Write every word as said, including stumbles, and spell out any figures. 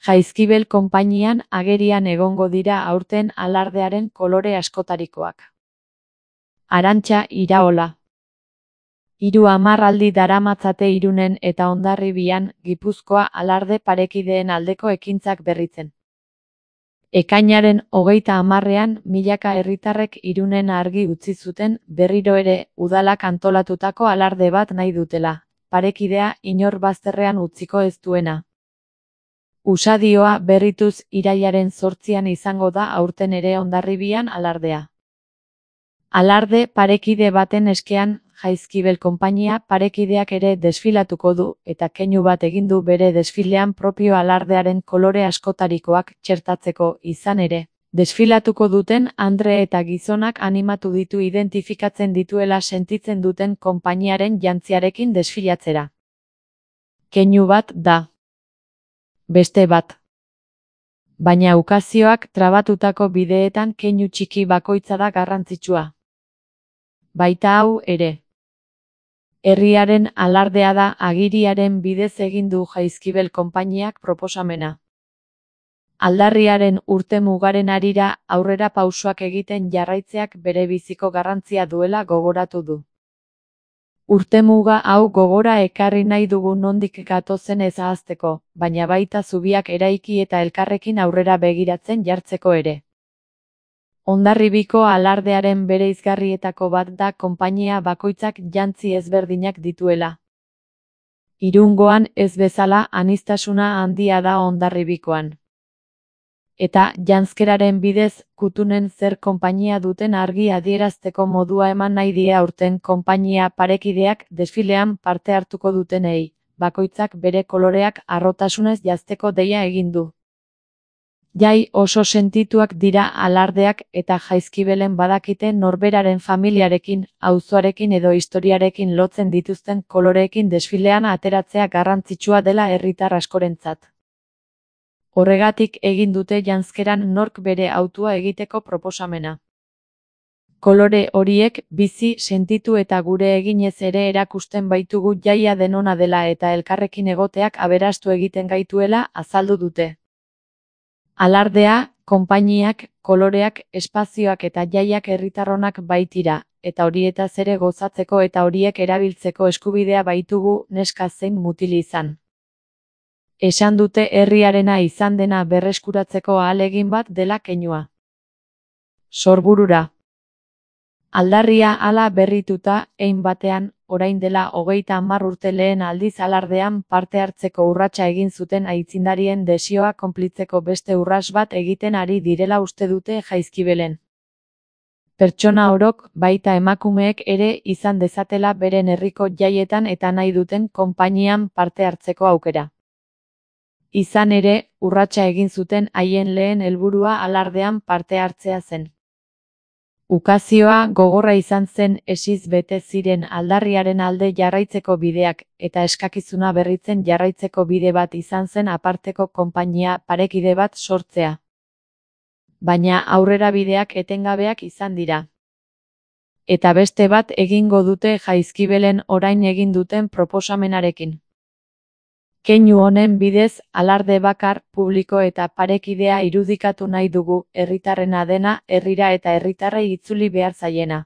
Jaizkibel konpainian agerian egongo dira aurten alardearen kolore askotarikoak. Arantxa Iraola. Hiru hamarraldi daramatzate Irunen eta Hondarribian Gipuzkoa alarde parekideen aldeko ekintzak berritzen. Ekainaren hogeita hamarrean milaka herritarrek Irunen argi utzi zuten berriro ere udalak antolatutako alarde bat nahi dutela, parekidea inor bazterrean utziko ez duena. Usadioa berrituz irailaren zortzian izango da aurten ere Hondarribian alardea. Alarde parekide baten eskean Jaizkibel konpainia parekideak ere desfilatuko du eta keinu bat egin du bere desfilean propio alardearen kolore askotarikoak txertatzeko izan ere. Desfilatuko duten andre eta gizonak animatu ditu identifikatzen dituela sentitzen duten konpainiaren jantziarekin desfilatzera. Keinu bat da. Beste bat. Baina ukazioak trabatutako bideetan keinu txiki bakoitza da garrantzitsua. Baita hau ere. Herriaren alardea da agiriaren bidez egin du Jaizkibel konpainiak proposamena. Aldarriaren urtemugaren harira aurrera pausoak egiten jarraitzeak bere biziko garrantzia duela gogoratu du. Urtemuga hau gogora ekarri nahi dugu nondik gatozen ez ahazteko, baina baita zubiak eraiki eta elkarrekin aurrera begiratzen jartzeko ere. Hondarribiko alardearen bereizgarrietako bat da konpainia bakoitzak jantzi ezberdinak dituela. Irungoan ez bezala aniztasuna handia da Hondarribikoan. Eta janzkeraren bidez kutunen zer konpainia duten argi adierazteko modua eman nahi die aurten konpainia parekideak desfilean parte hartuko dutenei, bakoitzak bere koloreak harrotasunez janzteko deia egin du. Jai oso sentituak dira alardeak eta Jaizkibelen badakite norberaren familiarekin, auzoarekin edo historiarekin lotzen dituzten koloreekin desfilean ateratzea garrantzitsua dela herritar askorentzat. Horregatik egin dute janzkeran nork bere hautua egiteko proposamena. Kolore horiek bizi, sentitu eta gure eginez ere erakusten baitugu jaia denona dela eta elkarrekin egoteak aberastu egiten gaituela azaldu dute. Alardea, konpainiak, koloreak, espazioak eta jaiak herritarronak baitira, eta horietaz ere gozatzeko eta horiek erabiltzeko eskubidea baitugu neska zein mutil izan. Esan dute herriarena izan dena berreskuratzeko ahalegin bat dela keinua. Sorburura. Aldarria hala berrituta, hein batean, orain dela hogeita hamar urte lehen aldiz alardean parte hartzeko urratsa egin zuten aitzindarien desioa konplitzeko beste urrats bat egiten ari direla uste dute Jaizkibelen. Pertsona orok, baita emakumeek ere izan dezatela beren herriko jaietan eta nahi duten konpainian parte hartzeko aukera. Izan ere, urratsa egin zuten haien lehen helburua alardean parte hartzea zen. Ukazioa gogorra izan zen esiz bete ziren aldarriaren alde jarraitzeko bideak, eta eskakizuna berritzen jarraitzeko bide bat izan zen aparteko konpainia parekide bat sortzea. Baina aurrera bideak etengabeak izan dira. Eta beste bat egingo dute Jaizkibelen orain egin duten proposamenarekin. Keinu honen bidez, alarde bakar, publiko eta parekidea irudikatu nahi dugu, herritarrena dena, herrira eta herritarrei itzuli behar zaiena.